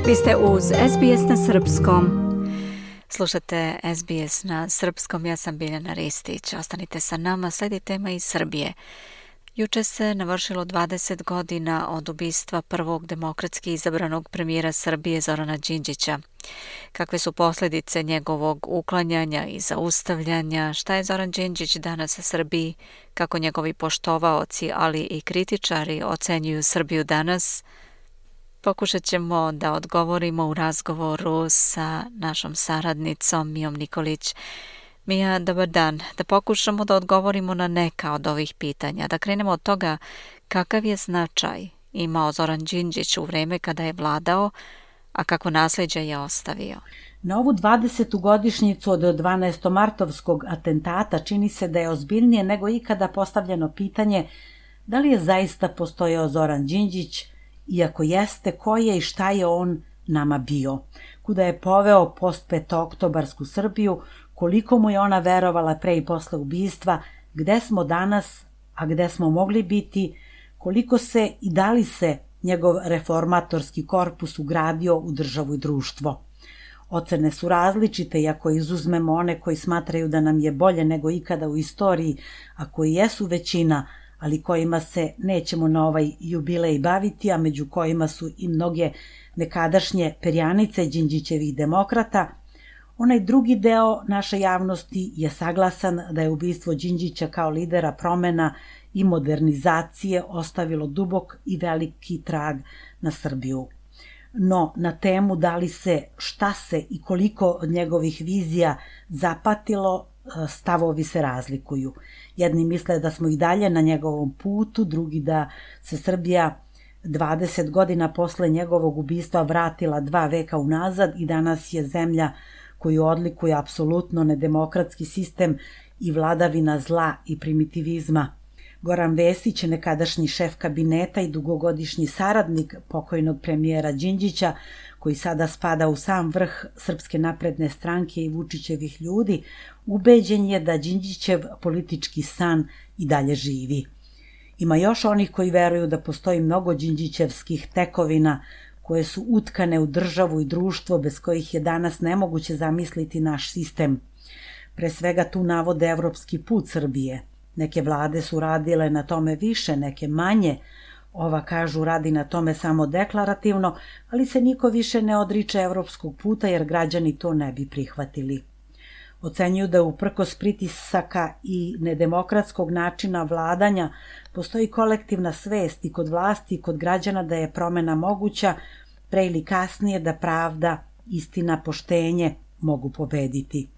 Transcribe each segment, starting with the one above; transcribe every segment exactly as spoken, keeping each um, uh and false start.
Vi ste uz S B S na srpskom. Slušate S B S na srpskom, ja sam Biljana Ristić. Ostanite sa nama, sledi tema iz Srbije. Juče se navršilo dvadeset godina od ubistva prvog demokratski izabranog premijera Srbije Zorana Đinđića. Kakve su posljedice njegovog uklanjanja i zaustavljanja? Šta je Zoran Đinđić danas Srbiji? Kako njegovi poštovaoci, ali i kritičari ocenjuju Srbiju danas? Pokušat ćemo da odgovorimo u razgovoru sa našom saradnicom Mijom Nikolić. Mija, dobar dan. Da pokušamo da odgovorimo na neka od ovih pitanja. Da krenemo od toga kakav je značaj imao Zoran Đinđić u vreme kada je vladao, a kako nasljeđe je ostavio. Na ovu dvadesetu godišnjicu od dvanaestomartovskog atentata čini se da je ozbiljnije nego ikada postavljeno pitanje da li je zaista postojao Zoran Đinđić, iako jeste, ko je i šta je on nama bio, kuda je poveo postpetooktobarsku Srbiju, koliko mu je ona verovala pre i posle ubistva, gde smo danas, a gde smo mogli biti, koliko se i da li se njegov reformatorski korpus ugradio u državu i društvo. Ocene su različite i ako izuzmemo one koji smatraju da nam je bolje nego ikada u istoriji, a koji jesu većina, ali kojima se nećemo na ovaj jubilej baviti, a među kojima su i mnoge nekadašnje perjanice Đinđićevih demokrata, onaj drugi deo naše javnosti je saglasan da je ubistvo Đinđića kao lidera promena i modernizacije ostavilo dubok i veliki trag na Srbiju. No, na temu da li se, šta se i koliko od njegovih vizija zapatilo, stavovi se razlikuju. Jedni misle da smo i dalje na njegovom putu, drugi da se Srbija dvadeset godina posle njegovog ubistva vratila dva veka unazad i danas je zemlja koju odlikuje apsolutno nedemokratski sistem i vladavina zla i primitivizma. Goran Vesić, nekadašnji šef kabineta i dugogodišnji saradnik pokojnog premijera Đinđića, koji sada spada u sam vrh Srpske napredne stranke i Vučićevih ljudi, ubeđen je da Đinđićev politički san i dalje živi. Ima još onih koji veruju da postoji mnogo Đinđićevskih tekovina koje su utkane u državu i društvo bez kojih je danas nemoguće zamisliti naš sistem. Pre svega tu navode evropski put Srbije. Neke vlade su radile na tome više, neke manje. Ova, kažu, radi na tome samo deklarativno, ali se niko više ne odriče evropskog puta jer građani to ne bi prihvatili. Ocenjuju da uprkos pritisaka i nedemokratskog načina vladanja postoji kolektivna svest i kod vlasti i kod građana da je promena moguća, pre ili kasnije da pravda, istina, poštenje mogu pobediti.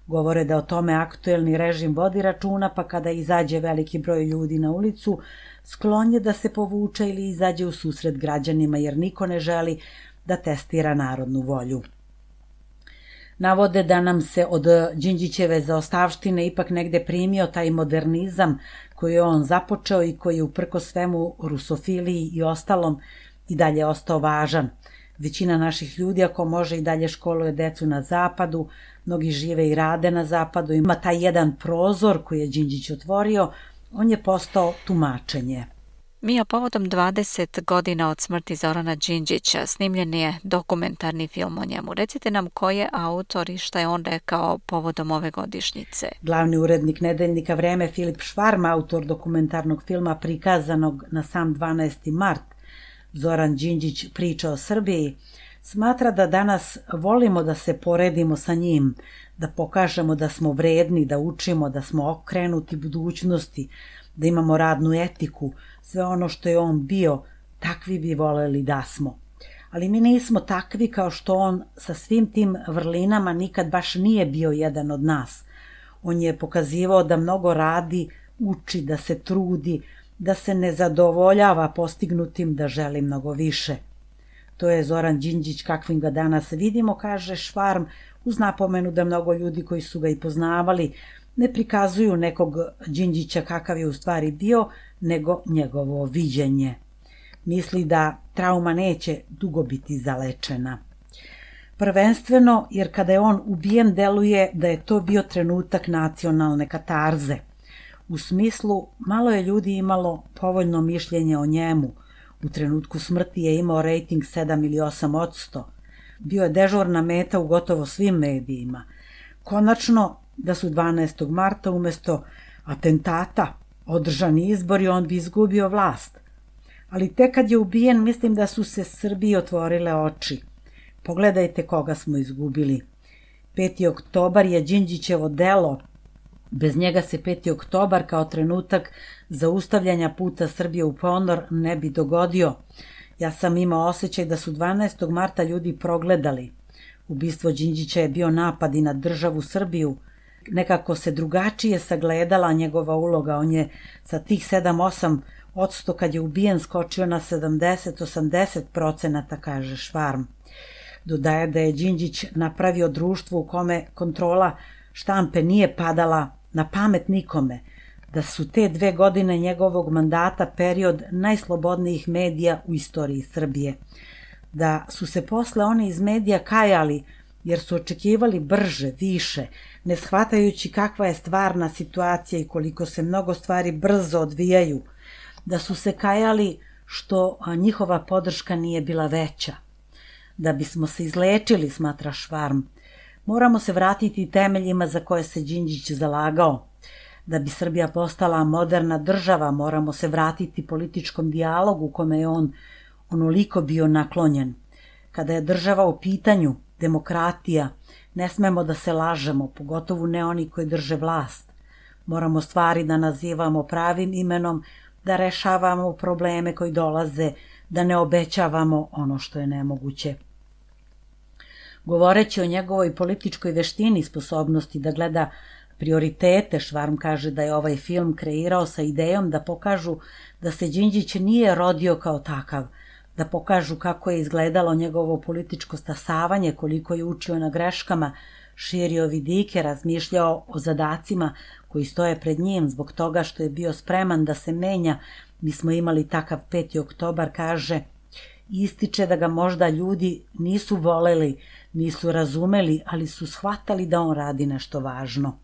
Govore da o tome aktuelni režim vodi računa, pa kada izađe veliki broj ljudi na ulicu, sklon je da se povuče ili izađe u susret građanima, jer niko ne želi da testira narodnu volju. Navode da nam se od Đinđićeve zaostavštine ipak negde primio taj modernizam koji je on započeo i koji je uprkos svemu rusofiliji i ostalom i dalje ostao važan. Većina naših ljudi, ako može, i dalje školuje decu na zapadu, mnogi žive i rade na zapadu, ima taj jedan prozor koji je Đinđić otvorio, on je postao tumačenje. Mija, povodom dvadeset godina od smrti Zorana Đinđića snimljen je dokumentarni film o njemu. Recite nam ko je autor i šta je on rekao povodom ove godišnjice. Glavni urednik nedeljnika Vreme Filip Švarm, autor dokumentarnog filma prikazanog na sam dvanaesti mart, Zoran Đinđić priča o Srbiji, smatra da danas volimo da se poredimo sa njim, da pokažemo da smo vredni, da učimo, da smo okrenuti budućnosti, da imamo radnu etiku, sve ono što je on bio, takvi bi voleli da smo. Ali mi nismo takvi kao što on sa svim tim vrlinama nikad baš nije bio jedan od nas. On je pokazivao da mnogo radi, uči, da se trudi, da se ne zadovoljava postignutim, da želi mnogo više. To je Zoran Đinđić kakvim ga danas vidimo, kaže Švarm, uz napomenu da mnogo ljudi koji su ga i poznavali ne prikazuju nekog Đinđića kakav je u stvari bio, nego njegovo viđenje. Misli da trauma neće dugo biti zalečena. Prvenstveno jer kada je on ubijen deluje da je to bio trenutak nacionalne katarze. U smislu, malo je ljudi imalo povoljno mišljenje o njemu. U trenutku smrti je imao rejting sedam ili osam odsto. bio je dežurna meta u gotovo svim medijima. Konačno, da su dvanaestog marta umesto atentata održani izbori, on bi izgubio vlast. Ali tek kad je ubijen, mislim da su se Srbiji otvorile oči. Pogledajte koga smo izgubili. peti oktobar je Đinđićevo delo. Bez njega se peti oktobar kao trenutak zaustavljanja puta Srbije u ponor ne bi dogodio. Ja sam imao osjećaj da su dvanaestog marta ljudi progledali. Ubistvo Đinđića je bio napad i na državu Srbiju. Nekako se drugačije sagledala njegova uloga. On je sa tih sedam osam odsto kad je ubijen skočio na sedamdeset do osamdeset procenata, kaže Švarm. Dodaje da je Đinđić napravio društvo u kome kontrola štampe nije padala na pamet nikome, da su te dve godine njegovog mandata period najslobodnijih medija u istoriji Srbije, da su se posle oni iz medija kajali jer su očekivali brže, više, ne shvatajući kakva je stvarna situacija i koliko se mnogo stvari brzo odvijaju, da su se kajali što njihova podrška nije bila veća. Da bismo se izlečili, smatra Švarm, moramo se vratiti temeljima za koje se Đinđić zalagao. Da bi Srbija postala moderna država, moramo se vratiti političkom dijalogu kome je on onoliko bio naklonjen. Kada je država u pitanju, demokratija, ne smemo da se lažemo, pogotovo ne oni koji drže vlast. Moramo stvari da nazivamo pravim imenom, da rešavamo probleme koji dolaze, da ne obećavamo ono što je nemoguće. Govoreći o njegovoj političkoj veštini i sposobnosti da gleda prioritete, Švarm kaže da je ovaj film kreirao sa idejom da pokažu da se Đinđić nije rodio kao takav, da pokažu kako je izgledalo njegovo političko stasavanje, koliko je učio na greškama, širio vidike, razmišljao o zadacima koji stoje pred njim zbog toga što je bio spreman da se menja. Mi smo imali takav peti oktobar, kaže, ističe da ga možda ljudi nisu voleli, nisu razumeli, ali su shvatali da on radi nešto važno.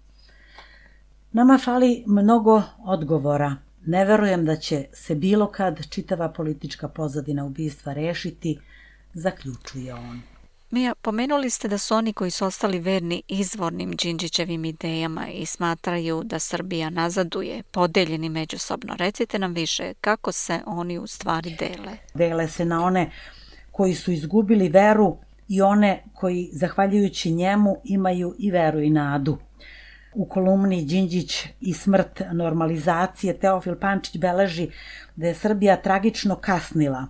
Nama fali mnogo odgovora. Ne verujem da će se bilo kad čitava politička pozadina ubistva rešiti, zaključuje on. Mija, pomenuli ste da su oni koji su ostali verni izvornim Đinđićevim idejama i smatraju da Srbija nazaduje, podeljeni međusobno. Recite nam više, kako se oni u stvari dele? Dele se na one koji su izgubili veru i one koji, zahvaljujući njemu, imaju i veru i nadu. U kolumni Đinđić i smrt normalizacije Teofil Pančić beleži da je Srbija tragično kasnila.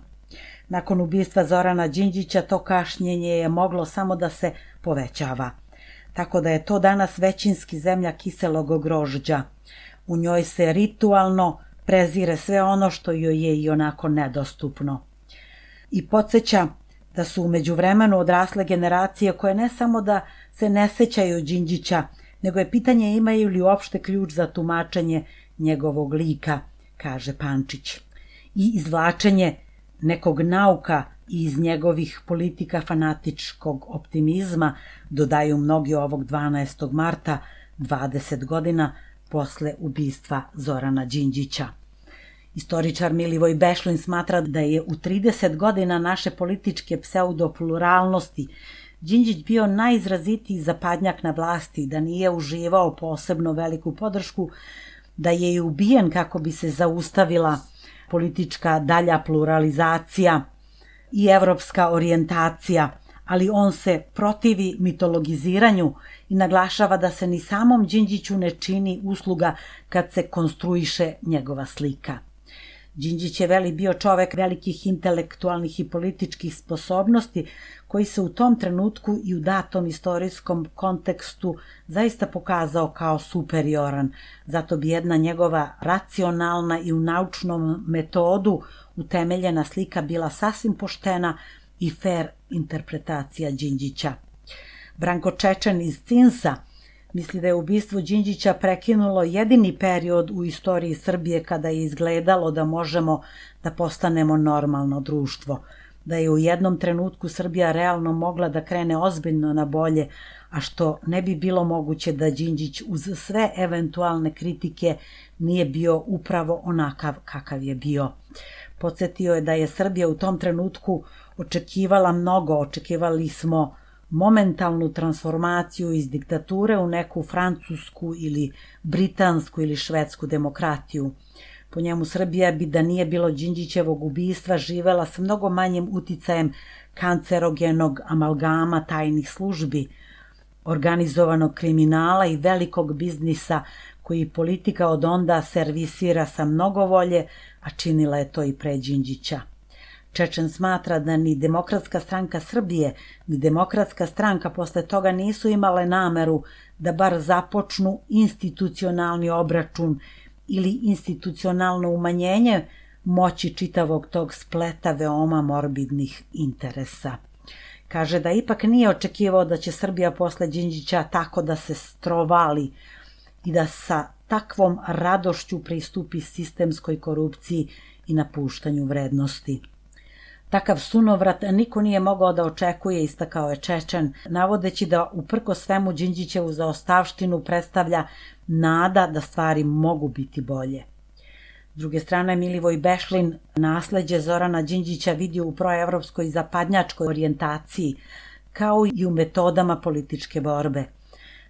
Nakon ubistva Zorana Đinđića to kašnjenje je moglo samo da se povećava. Tako da je to danas većinski zemlja kiselog grožđa. U njoj se ritualno prezire sve ono što joj je i onako nedostupno. I podsjeća da su u međuvremenu odrasle generacije koje ne samo da se ne sećaju Đinđića, nego je pitanje imaju li uopšte ključ za tumačenje njegovog lika, kaže Pančić. I izvlačenje nekog nauka iz njegovih politika fanatičkog optimizma, dodaju mnogi ovog dvanaestog marta, dvadeset godina posle ubistva Zorana Đinđića. Istoričar Milivoj Bešlin smatra da je u trideset godina naše političke pseudopluralnosti Đinđić bio najizrazitiji zapadnjak na vlasti, da nije uživao posebno veliku podršku, da je i ubijen kako bi se zaustavila politička dalja pluralizacija i evropska orijentacija, ali on se protivi mitologiziranju i naglašava da se ni samom Đinđiću ne čini usluga kad se konstruiše njegova slika. Đinđić je veli bio čovek velikih intelektualnih i političkih sposobnosti koji se u tom trenutku i u datom istorijskom kontekstu zaista pokazao kao superioran. Zato bi jedna njegova racionalna i u naučnom metodu utemeljena slika bila sasvim poštena i fer interpretacija Đinđića. Branko Čečen iz Cinsa misli da je ubistvo Đinđića prekinulo jedini period u istoriji Srbije kada je izgledalo da možemo da postanemo normalno društvo, da je u jednom trenutku Srbija realno mogla da krene ozbiljno na bolje, a što ne bi bilo moguće da Đinđić uz sve eventualne kritike nije bio upravo onakav kakav je bio. Podsjetio je da je Srbija u tom trenutku očekivala mnogo, očekivali smo momentalnu transformaciju iz diktature u neku francusku ili britansku ili švedsku demokratiju. Po njemu Srbija bi, da nije bilo Đinđićevog ubistva, živela sa mnogo manjim uticajem kancerogenog amalgama tajnih službi, organizovanog kriminala i velikog biznisa koji politika od onda servisira sa mnogo volje, a činila je to i pre Đinđića. Čečen smatra da ni Demokratska stranka Srbije, ni Demokratska stranka posle toga nisu imale nameru da bar započnu institucionalni obračun ili institucionalno umanjenje moći čitavog tog spleta veoma morbidnih interesa. Kaže da ipak nije očekivao da će Srbija posle Đinđića tako da se strovali i da sa takvom radošću pristupi sistemskoj korupciji i napuštanju vrednosti. Takav sunovrat niko nije mogao da očekuje, istakao je Čečen, navodeći da uprko svemu Đinđićevu zaostavštinu predstavlja nada da stvari mogu biti bolje. S druge strane, Milivoj Bešlin nasleđe Zorana Đinđića vidi u proevropskoj zapadnjačkoj orijentaciji, kao i u metodama političke borbe.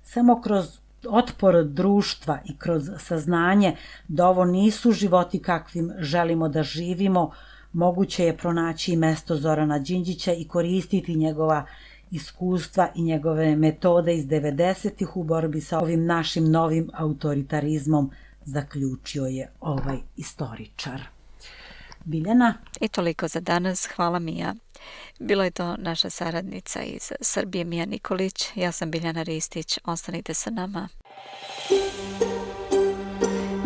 Samo kroz otpor društva i kroz saznanje da ovo nisu životi kakvim želimo da živimo, moguće je pronaći i mesto Zorana Đinđića i koristiti njegova iskustva i njegove metode iz devedesetih u borbi sa ovim našim novim autoritarizmom, zaključio je ovaj istoričar. Biljana? I toliko za danas. Hvala Mija. Bilo je to naša saradnica iz Srbije Mija Nikolić. Ja sam Biljana Ristić. Ostanite sa nama.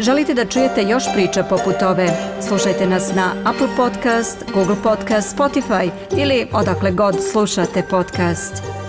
Želite da čujete još priča poput ove? Slušajte nas na Apple Podcast, Google Podcast, Spotify ili odakle god slušate podcast.